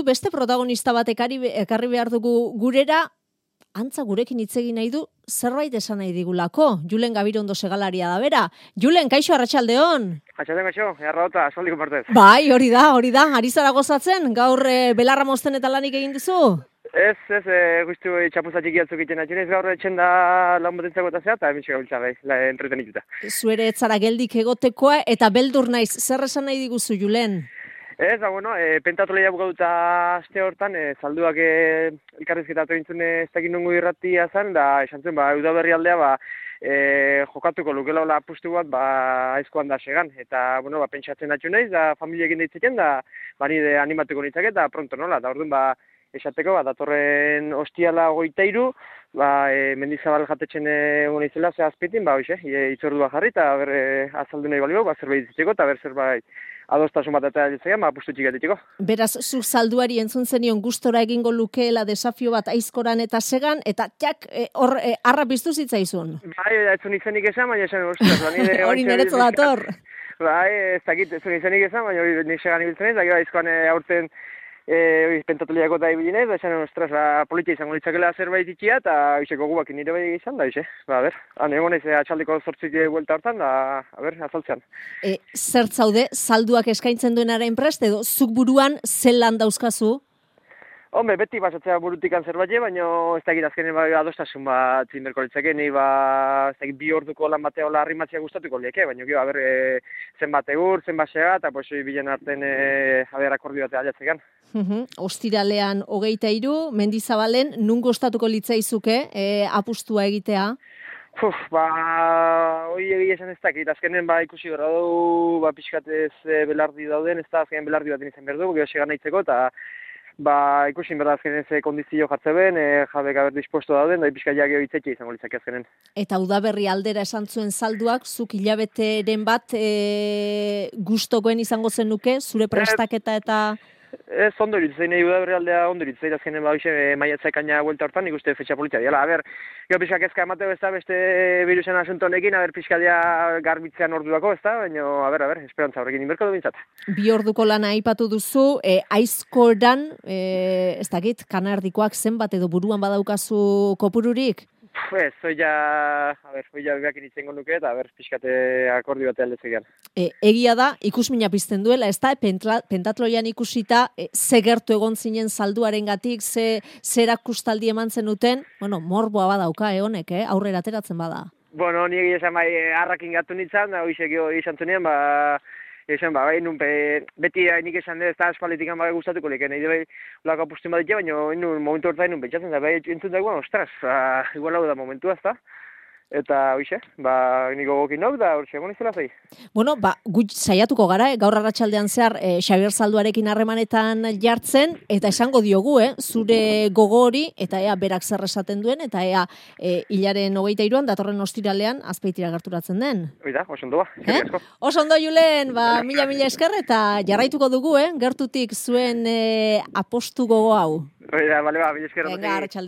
Beste protagonista bat ekarri behar dugu gurera, antza gurekin hitz egin nahi du, zerbait esan nahi digulako. Julen Gabirondo segalaria da bera. Julen, kaixo, arratsaldeon. Atxaldeon kaixo, errota, asoldiko partez. Bai, hori da. Ari zara gozatzen? Gaur belarra mozten eta lanik egin duzu? Ez, guztu txapuza txiki atzuk iten atxinez, gaur etxen da lan botentzako eta zea, eta emitxe gabiltza gai, entretenituta. Zuere etzara geldik egotekoa, eta beldur naiz, zer esan nahi diguzu, Julen? Ez, pentatoloia bukatuta aste hortan, salduak elkarrizketatu egin ez dakit nongo irratia zen, da esan zuen, Udaberri aldea, jokatuko lukela hola apustu bat, aizkoan da segan. Eta, pentsatzen atxu naiz, da familiekin ditzeken, da, nire animatuko nintzake, eta pronto nola, da orduan, esateko, datorren ostiala 23, Mendizabal jatetxen egon izela, ze azpitin, itzordua jarri, eta azaldu nahi balio, zerbait ditzeko, eta zerbait adostasun bat eta ditzean, apustu txik ditzeko. Beraz, zu salduari entzun zenion gustora egingo lukeela desafio bat aizkoran eta segan, eta txak, arra piztu zitzaizun. Ez zuen izenik esan, baina esan, hori niretzo dator. Ez dakit, ez zuen izenik esan, baina hori nik segan ibiltzen ez, da gero aizkoan aurten pentatoliako da ibilinez, esan, politia izango ditzakela zerbait itxia, eta iseko gubak nire bai izan, da, egonez atxaldeko 8 buelta hortan, da, azaltzean. Zer zaude, salduak eskaintzen duenaren prest, edo zuk buruan zelan dauzkazu? Hombre, beti basatzea burutikan zerbait, baina ez dakit azkenen adostasun bat zinberko litzake, nahi ez dakit 2 orduko lan batea hola arrimatzea gustatuko lieke, baina zenbat egur, zenbat sega, eta bilen arten akordio batea aliatzekan. Ostiralean 23, Mendizabalen, nun gustatuko litzaizuke apustua egitea? Hoi egia esan ez dakit, azkenen ikusi gara du, pixkatez belardi dauden, ez da azkenen belardi bat izan behar du, gero segan nahitzeko, eta ikusin berda azkenen ze kondizio jartze ben, jabek aber dispuesto dauden, da pixka geho hitzetxe izango litzake azkenen. Eta Udaberri aldera esan zuen salduak, zuk hilabeteren bat gustokoen izango zenuke, zure prestaketa eta... Ez ondo iritzen, Udaberri aldea ondo iritzen, azkenen maiatzekaina buelta hortan, ikuste fetxa politia diala. Gero pixka kezka emateo ez da, beste virusen asunto honekin, pixka dia garbitzean orduako ez da, baina, esperantza horrekin inberko du bintzat. 2 orduko lana aipatu duzu, aizkoran, ez dakit, kanardikoak zenbat edo buruan badaukazu kopururik? Ez, hoia behakin itzengo nuke eta pixkate akordio batea aldetzegean. Egia da, ikusmina pizten duela, ez da, pentatloian ikusita, ze gertu egon zinen salduaren gatik, ze erakustaldi eman zenuten, morboa badauka honek, aurrera ateratzen bada. Ni egia esan harrakin gatu nintzen, da hoizek izan zunien, beti nik esan ez da espalditik gustatuko leken, nahi ulako apustuen bat ditu, baina momentu horretan nun pentsatzen da, entzun da ostras, igual hau da momentua ez da. Eta, niko gokin nauk da, hori egon izela zei. Gut saiatuko gara, gaur arratsaldean zehar Xabier Salduarekin harremanetan jartzen, eta esango diogu, zure gogo hori, eta berak zer esaten duen, eta hilaren 23an, datorren ostiralean, Azpeitira gerturatzen den. Oida, oso ondo ba, Oso ondo, Julen, mila esker, eta jarraituko dugu, gertutik zuen apostu gogo hau. Oida, mila esker.